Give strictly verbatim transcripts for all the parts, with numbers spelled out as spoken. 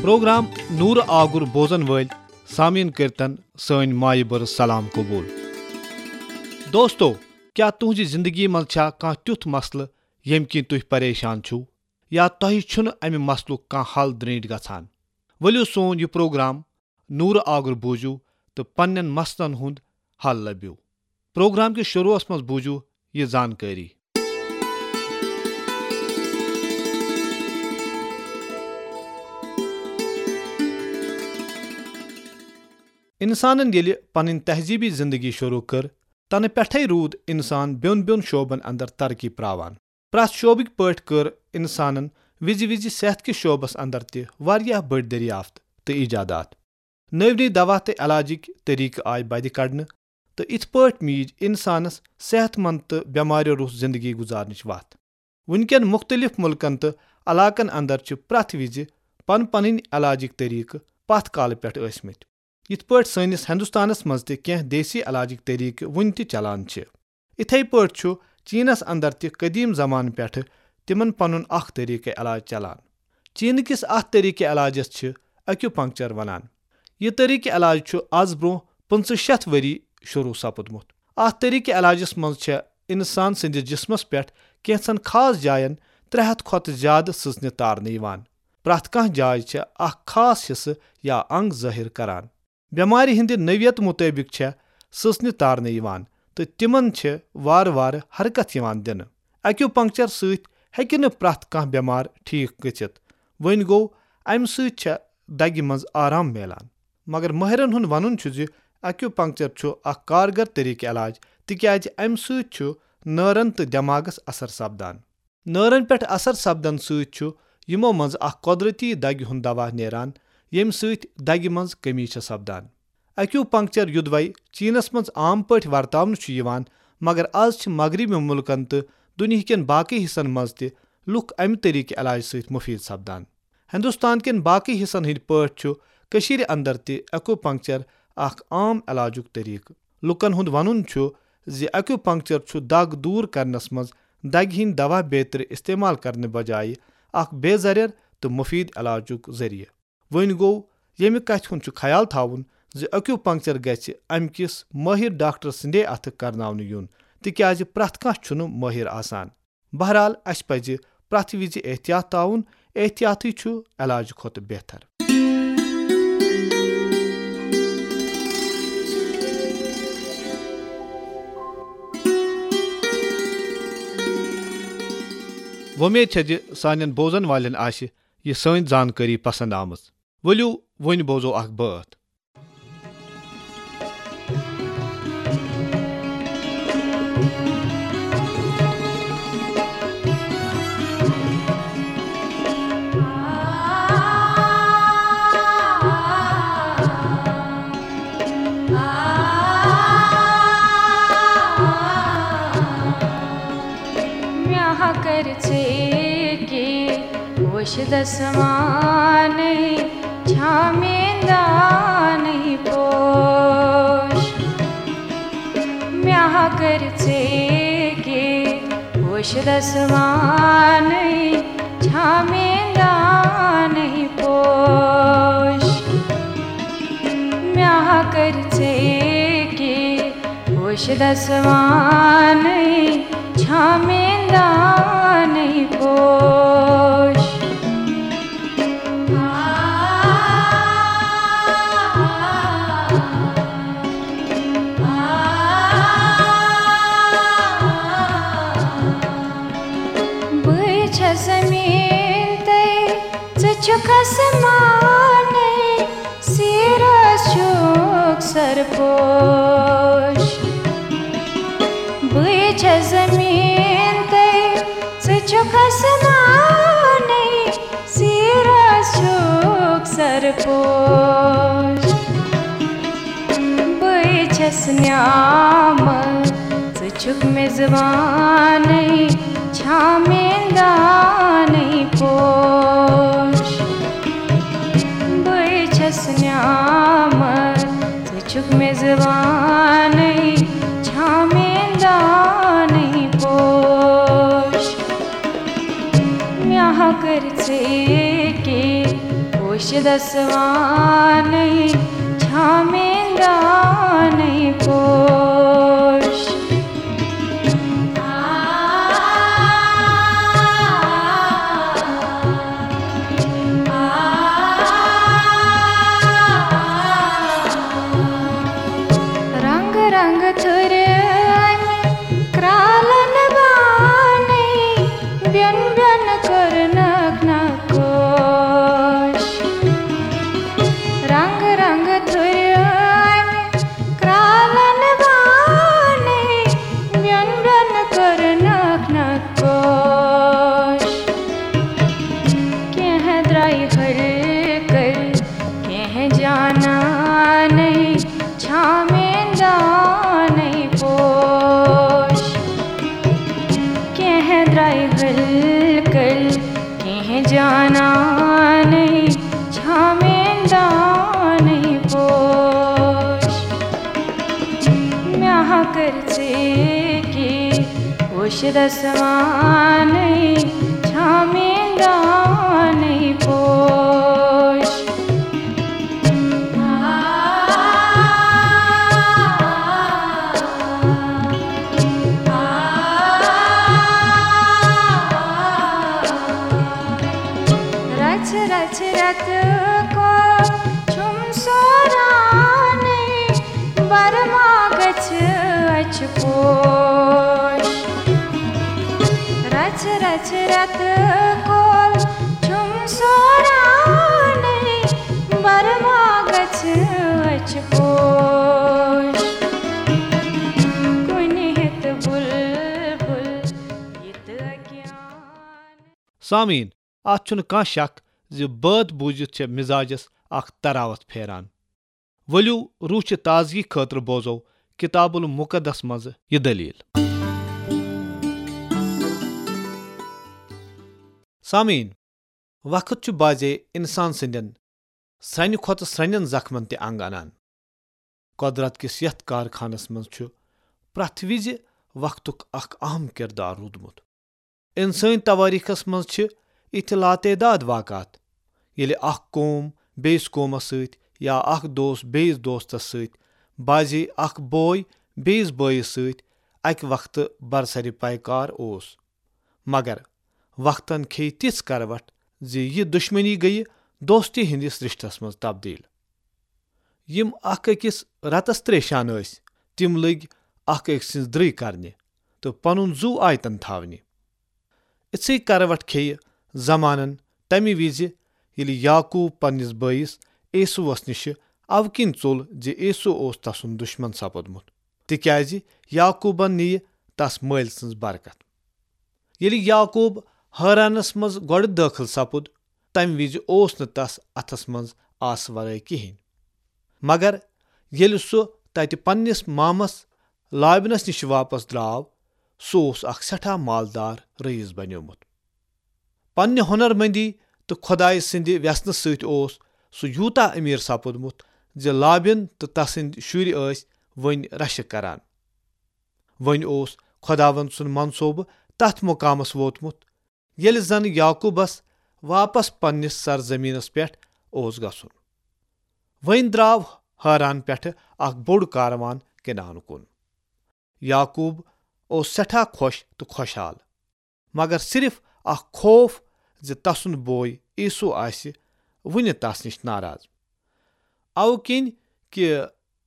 Programme نورٕ آگُر بوزن وٲلۍ سامعیٖن کٔرتن سٲنۍ مایہِ بٔرٕژ سلام قبول۔ دوستو، کیٛاہ تُہنٛزِ زندگی منٛز چھا کانٛہہ تیُتھ مسلہٕ ییٚمہِ کِنۍ تُہۍ پریشان چھِو، یا تۄہہِ چھُنہٕ امہِ مسلُک کانٛہہ حل درینٹھ گژھان؟ ؤلِو سون یہِ پروگرام نورٕ آگُر بوٗزِو تہٕ پننٮ۪ن مسلن ہُنٛد حل لٔبِو۔ پروگرام کِس شروعس منٛز بوٗزِو یہِ زانکٲری۔ انسانن ییٚلہِ پنٕنۍ تہذیبی زندگی شروع کٔر، تنہٕ پٮ۪ٹھے روٗد انسان بیوٚن بیوٚن شعبن اندر ترقی پراوان۔ پرٛٮ۪تھ شعبٕکۍ پٲٹھۍ کٔر انسانن وِزِ وِزِ صحت کِس شعبس اندر تہِ واریاہ بٔڑۍ دٔریافت تہٕ ایجادات۔ نٔوۍ نٔوۍ دوا تہٕ علاجٕکۍ طریقہٕ آیہِ بدِ کڑنہٕ، تہٕ اِتھ پٲٹھۍ میٖج انسانس صحت مند تہٕ بٮ۪ماریو روٚس زندگی گُزارنٕچ وتھ۔ وٕنکٮ۪ن مُختٔلِف مُلکن تہٕ علاقن اندر چھِ پرٛٮ۪تھ وِزِ پن پنٕنۍ علاجٕکۍ طریقہٕ پتھ کالہٕ پٮ۪ٹھ ٲسۍ مٕتۍ۔ یِتھ پٲٹھۍ سٲنِس ہندوستانس منٛز تہِ کینٛہہ دیسی علاجٕکۍ طریقہٕ وُنہِ تہِ چلان چھِ، اِتھے پٲٹھۍ چھُ چینس اندر تہِ قدیم زمانہٕ پٮ۪ٹھٕ تِمن پنُن اکھ طریقہٕ علاج چلان۔ چینہٕ کِس اتھ طریقہٕ علاجس چھِ ایکیوپنکچر ونان۔ یہِ طریقہٕ علاج چھُ از برونٛہہ پٕنٛژٕہ شیٚتھ ؤری شروع سپُدمُت۔ اتھ طریقہٕ علاجس منٛز چھےٚ انسان سٕنٛدِس جسمس پٮ۪ٹھ کینٛژن خاص جاین ترٛےٚ ہتھ کھۄتہٕ زیادٕ سٕژنہِ تارنہٕ یِوان۔ پرٛٮ۪تھ کانٛہہ جاے چھےٚ اکھ خاص حصہٕ یا انگ ظٲہِر کران۔ بٮ۪مارِ ہٕنٛدِ نوعیت مُطٲبِق چھےٚ سٕژنہِ تارنہٕ یِوان تہٕ تِمن چھِ وارٕ وارٕ حرکت یِوان دِنہٕ۔ ایکیوپنکچر سۭتۍ ہیٚکہِ نہٕ پرٛٮ۪تھ کانٛہہ بٮ۪مار ٹھیٖک گٔژھِتھ۔ وۄنۍ گوٚو، امہِ سۭتۍ چھےٚ دگہِ منٛز آرام میلان۔ مگر مٲہرن ہُنٛد ونُن چھُ زِ ایکیوپنکچر چھُ اکھ کارگر طریقہٕ علاج، تِکیازِ امہِ سۭتۍ چھُ نٲرن تہٕ دٮ۪ماغس اثر سپدان۔ نٲرن پٮ۪ٹھ اثر سپدن سۭتۍ چھُ یِمو منٛز اکھ قۄدرتی دگہِ ہُنٛد دوا نیران، ییٚمہِ سۭتۍ دگہِ منٛز کمی چھےٚ سپدان۔ ایکیوپنکچر، یُدوے چینس منٛز عام پٲٹھۍ ورتاونہٕ چھُ یِوان، مگر از چھِ مغربی مُلکن تہٕ دُنیہکٮ۪ن باقی حصن منٛز تہِ لُکھ امہِ طریقہٕ علاج سۭتۍ مفید سپدان۔ ہندوستان کٮ۪ن باقی حصن ہٕنٛدۍ پٲٹھۍ چھُ کٔشیٖرِ اندر تہِ ایکوپنکچر اکھ عام علاجُک طریقہٕ۔ لوٗکن ہُنٛد وَنُن چھُ زِ ایکوپنکچر چھُ دگ دوٗر کرنس منٛز دگہِ ہٕنٛدۍ دوا بیترِ استعمال کرنہٕ بجایہِ اکھ بے ضرر تہٕ مفید علاجُک ذٔریعہٕ۔ وۄنۍ گوٚو، ییٚمہِ کتھِ ہُنٛد چھُ خیال تھاوُن زِ ایکوپنکچر گژھِ امہِ کِس مٲہِر ڈاکٹر سٕنٛدے اَتھٕ کرناونہٕ یُن، تِکیازِ پرٛٮ۪تھ کانٛہہ چھُنہٕ مٲہِر آسان۔ بہرحال، اسہِ پزِ پرٛٮ۪تھ وِزِ احتیاط تھاوُن، احتیاطٕے چھُ علاج کھۄتہٕ بہتر۔ وۄمید چھےٚ زِ سانٮ۪ن بوزن والٮ۪ن آسہِ یہِ سٲنۍ زانکٲری پسند آمٕژ۔ ؤلِو، وۄنۍ بوزو اکھ بٲتھ۔ مےٚ ہا کٔرۍ ژےٚ کہِ پوشہِ دسمانٕے چھا میٲنۍ دانٕے پوش۔ مےٚ ہا کٔرۍ ژےٚ کہِ پوشہِ دسمانٕے چھا میٲنۍ دانٕے پوش۔ مےٚ ہا کٔرۍ ژےٚ کہِ پوشہِ دسمانٕے چھا میٲنۍ دانٕے پوش۔ بہٕ چھَس زٔمیٖن تہٕ ژٕ چھُکھ آسمانٕے، سیٖرس چھُکھ سرپوش۔ بہٕ چھَس زٔمیٖن تہٕ ژٕ چھُکھ آسمانٕے، سیٖرس چھُکھ سرپوش۔ بہٕ چھَس نعمت، ژٕ چھُکھ میزبانٕے، چھا میٲنۍ دانٕے پوش۔ بہٕ چھَس نعمت، ژٕ چھُکھ میزبانٕے، چھا میٲنۍ دانٕے پوش۔ مےٚ ہا کٔرۍ ژےٚ کہِ پوش چھ دسوانٕے چھامین دانٕے پوش۔ رنگ رنگ تھُرِ امہِ کرالن بانٕے، بیوٚن بیوٚن کٔرنکھ نقوش۔ رنگ رنگ تھُرِ امہِ کرالن بانٕے، بیوٚن بیوٚن کٔرنکھ نقوش۔ کینٛہہ درٛایہِ ہلکل، کینٛہہ جانانٕے، چھامین دانٕے پوش۔ کینٛہہ درٛایہِ ہلکل، کینٛہہ جانانٕے، چھامین دانٕے پوش۔ مےٚ ہا کٔرۍ ژےٚ کی وٕچھ دسوانٕے چھامین دانٕے پوش۔ رچھ رچھ رتہٕ کول چھُم سورانٕے، برما گژھِ أچھ پوش۔ رچھ رچھ رتہٕ کول چھُم سورانٕے، برما گژھِ أچھ پوش۔ کُنہِ ہیٚتہٕ بُلبُل یہِ تہٕ اگیان۔ سامعیٖن، اتھ چھُنہٕ کانٛہہ شک زِ بٲتھ بوٗزِتھ چھےٚ مزاجس اکھ تراوت پھیران۔ ؤلِو، روح چہِ تازگی خٲطرٕ بوزو کتاب المقدس منٛز یہِ دٔلیٖل۔ سامعیٖن، وقت چھُ بعضے انسان سٕنٛدٮ۪ن سرٛنہِ کھۄتہٕ سرٛنٮ۪ن زخمن تہِ انگ انان۔ قۄدرت کِس یتھ کارخانس منٛز چھُ پرٛٮ۪تھ وِزِ وقتُک اکھ اہم کردار روٗدمُت۔ انسٲنی توٲریخس منٛز چھِ یِتھۍ لاتعداد واقعات، ییٚلہِ اکھ قوم بیٚیِس قومس سۭتۍ یا اکھ دوست بیٚیِس دوستس سۭتۍ، بعضے اکھ بوے بیٚیِس بٲیِس سۭتۍ اکہِ وقتہٕ برسرِ پیکار اوس۔ مگر وقتن کھیٚیہِ تِژھ کروٹھ زِ یہِ دُشمنی گٔیہِ دوستی ہٕنٛدِس رشتس منٛز تبدیل۔ یِم اکھ أکِس رتس تریشان ٲسۍ، تِم لٔگۍ اکھ أکۍ سٕنٛز درٕے کرنہِ تہٕ پنُن زُو آیتن تھاونہِ۔ یِژھٕے کروٹھ کھیٚیہِ زمانن تمہِ وِزِ، ییٚلہِ یعقوب پننِس بٲیِس عیسوس نِشہِ اَوٕ کِنۍ ژوٚل زِ عیسو اوس تسُنٛد دُشمن سپُدمُت، تِکیازِ یعقوبن نِیہِ تس مٲلۍ سٕنٛز برکت۔ ییٚلہِ یعقوب حٲرانس منٛز گۄڈٕ دٲخل سپُد، تمہِ وِزِ اوس نہٕ تس اتھس منٛز آسہٕ ورٲے کِہینۍ۔ مگر ییٚلہِ سُہ تتہِ پننِس مامس لابنس نِش واپس درٛاو، سُہ اوس اکھ سٮ۪ٹھاہ مالدار رئیس بنیومُت۔ پننہِ ہۄنرمندی تہٕ خۄدایہِ سٕنٛدِ وٮ۪ژنہٕ سۭتۍ اوس سُہ یوٗتاہ امیر سپُدمُت زِ لابن تہٕ تسٕنٛدۍ شُرۍ ٲسۍ وۄنۍ رشہٕ کران۔ وۄنۍ اوس خۄداوند سُنٛد منصوبہٕ تتھ مقامس ووتمُت، ییٚلہِ زن یعقوبس واپس پننِس سرزمینس پٮ۪ٹھ اوس گژھُن۔ وۄنۍ درٛاو حاران پٮ۪ٹھٕ اکھ بوٚڑ کاروان کنعان کُن۔ یعقوب اوس سٮ۪ٹھاہ خۄش تہٕ خۄشحال، مگر صرف اکھ خوف زِ تسُنٛد بوے عیسو آسہِ وُنہِ تس نِش ناراض۔ اَوٕ کِنۍ کہِ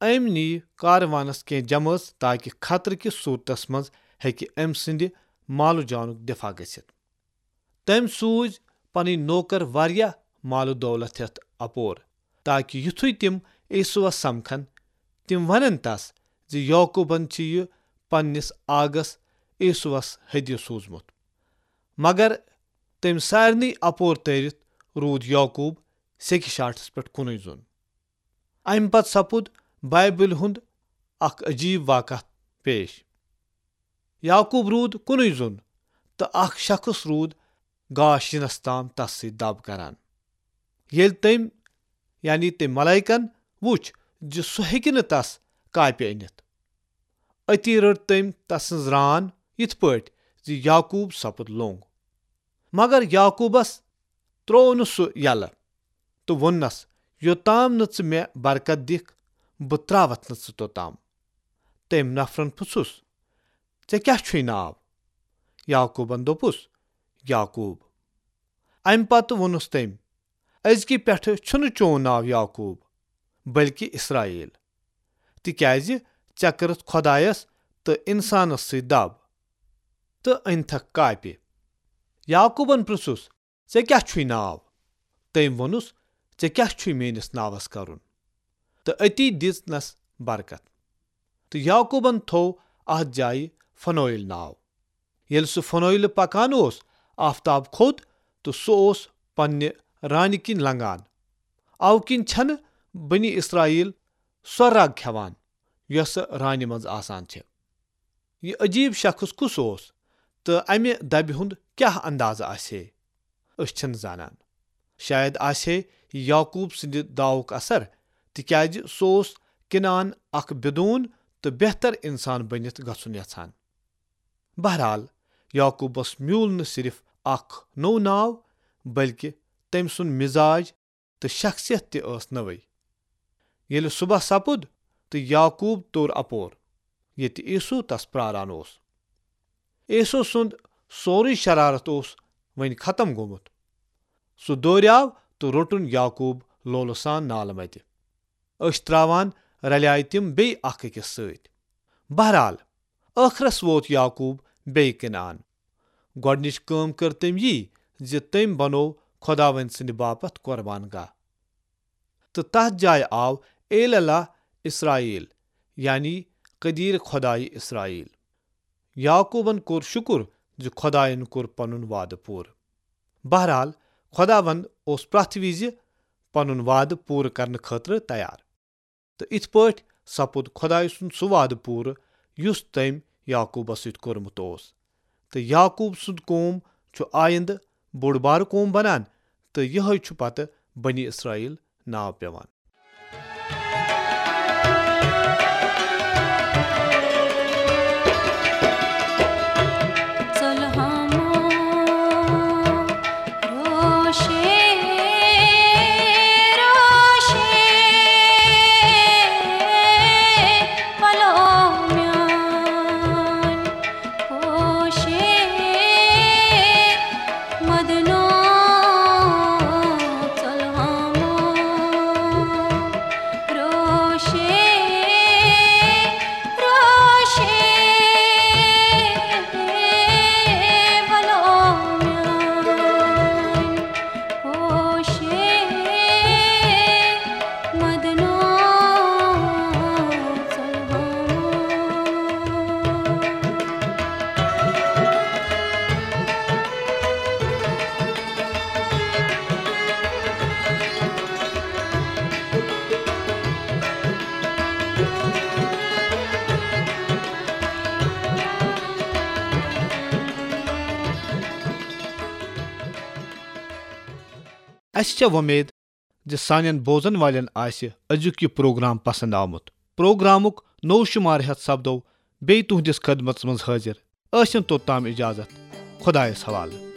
أمۍ نی کاروانس کینٛہہ جمٲژ تاکہ خطرٕ کِس صورتس منٛز ہیٚکہِ أمۍ سٕنٛدِ مالہٕ جانُک دفاع گٔژھِتھ۔ تٔمۍ سوٗزۍ پنٕنۍ نوکر واریاہ مالہٕ دولت ہٮ۪تھ اپور، تاکہ یُتھُے تِم عیسوس سمکھن، تِم ونن تس زِ یعقوبن چھُ یہِ پننِس آغس عیسوس ہدیہ سوٗزمُت۔ مگر تٔمۍ سارنٕے اپور تٲرِتھ روٗد یعقوب سیٚکہِ شاٹھس پٮ۪ٹھ کُنُے زوٚن۔ امہِ پتہٕ سپُد بایبلہِ ہُنٛد اکھ عجیب واقعہ پیش۔ یعقوب روٗد کُنُے زوٚن تہٕ اکھ شخص روٗد گاش یِنس تام تس سۭتۍ دب کران۔ ییٚلہِ تٔمۍ، یعنی تٔمۍ ملائکن، وُچھ زِ سُہ ہیٚکہِ نہٕ تس کاپہِ أنِتھ، أتی رٔٹ تٔمۍ تسٕنٛز ران یِتھ پٲٹھۍ زِ یعقوب سپُد لوٚنگ۔ مگر یعقوبس تروو نہٕ سُہ یلہٕ۔ تہٕ ووٚننس، "یوٚتام نہٕ ژٕ مےٚ برکت دِکھ، بہٕ ترٛاوتھ نہٕ ژٕ توٚتام۔" تٔمۍ نفرن پرٛژھُس، "ژےٚ کیٛاہ چھُے ناو؟" یعقوبن دوٚپُس، "یعقوب۔" امہِ پتہٕ ووٚنُس تٔمۍ، "أزکہِ پٮ۪ٹھٕ چھُنہٕ چون ناو یعقوب، بلکہِ اسرائیل، تِکیازِ ژےٚ کٔرٕتھ خۄدایس تہٕ انسانس سۭتۍ دب تہٕ أنۍتھکھ کاپہِ۔" یعقوبن پرٛژھُس، "ژےٚ کیٛاہ چھُے ناو؟" تٔمۍ ووٚنُس، "ژےٚ کیٛاہ چھُے میٲنِس ناوس کرُن؟" تہٕ أتی دِژنس برکت۔ تہٕ یعقوبن تھوو اتھ جایہِ فنویل ناو۔ ییٚلہِ سُہ فنویلہٕ پکان اوس، آفتاب کھوٚت تہٕ سُہ اوس پننہِ رانہِ کِنۍ لنگان۔ اوٕ کِنۍ چھنہٕ بنی اسرائیل سۄ رگ کھٮ۪وان، یۄسہٕ رانہِ منٛز آسان چھِ۔ یہِ عجیب شخص کُس اوس تہٕ امہِ دبہِ ہُنٛد کیٛاہ اندازٕ آسہِ ہے؟ أسۍ چھِنہٕ زانان۔ شاید آسہِ ہے یعقوب سٕنٛدِ داوُک اثر، تِکیازِ سُہ اوس کنعان اکھ بدون تہٕ بہتر انسان بٔنِتھ گژھُن یژھان۔ بہرحال، یعقوبس میوٗل نہٕ صرف اکھ نوٚو ناو، بلکہِ تٔمۍ سُنٛد مزاج تہٕ شخصیت تہِ ٲس نٔوٕے۔ ییٚلہِ صبح سپُد تہٕ یعقوب توٚر اپور، ییٚتہِ عیسو تس پراران اوس۔ عیسو سُنٛد سورُے شرارت اوس وۄنۍ ختم گوٚمُت۔ سُہ دوریاو تہٕ روٚٹُن یعقوب لولہٕ سان نالہٕ متہِ۔ أچھ تراوان رلیایہِ تِم بیٚیہِ اکھ أکِس سۭتۍ۔ بہرحال، ٲخرس ووت یعقوب بیٚیہِ کنعان۔ گۄڈنِچ کٲم کٔر تٔمۍ یی زِ تٔمۍ بنوو خۄداوند سٕنٛدِ باپتھ قربان گاہ۔ تہٕ تتھ جایہِ آو ایل اللہ اسرائیل، یعنی قدیر خۄدایہِ اسرائیل۔ یعقوبن کوٚر شُکر زِ خۄداین کوٚر پنُن وعدٕ پوٗرٕ۔ بہرحال، خۄداوند اوس پرٛٮ۪تھ وِزِ پنُن وعدٕ پوٗرٕ کرنہٕ خٲطرٕ تیار۔ تہٕ اِتھ پٲٹھۍ سپُد خۄدایہِ سُنٛد سُہ وعدٕ پوٗرٕ یُس تٔمۍ یعقوبس سۭتۍ کوٚرمُت اوس۔ تہٕ یعقوب سُنٛد قوم چھُ آیندٕ بوٚڑ بارٕ قوم بنان، تہٕ یِہوٚے چھُ پتہٕ بنی اسرائیل ناو پٮ۪وان۔ اسہِ چھےٚ وۄمید زِ سانٮ۪ن بوزن والٮ۪ن آسہِ أزیُک یہِ پروگرام پسند آمُت۔ پروگرامُک نوٚو شمارٕ ہٮ۪تھ سپدو بیٚیہِ تُہنٛدِس خدمتس منٛز حٲضِر۔ ٲسِن توٚتام اجازت۔ خۄدایس حوالہٕ۔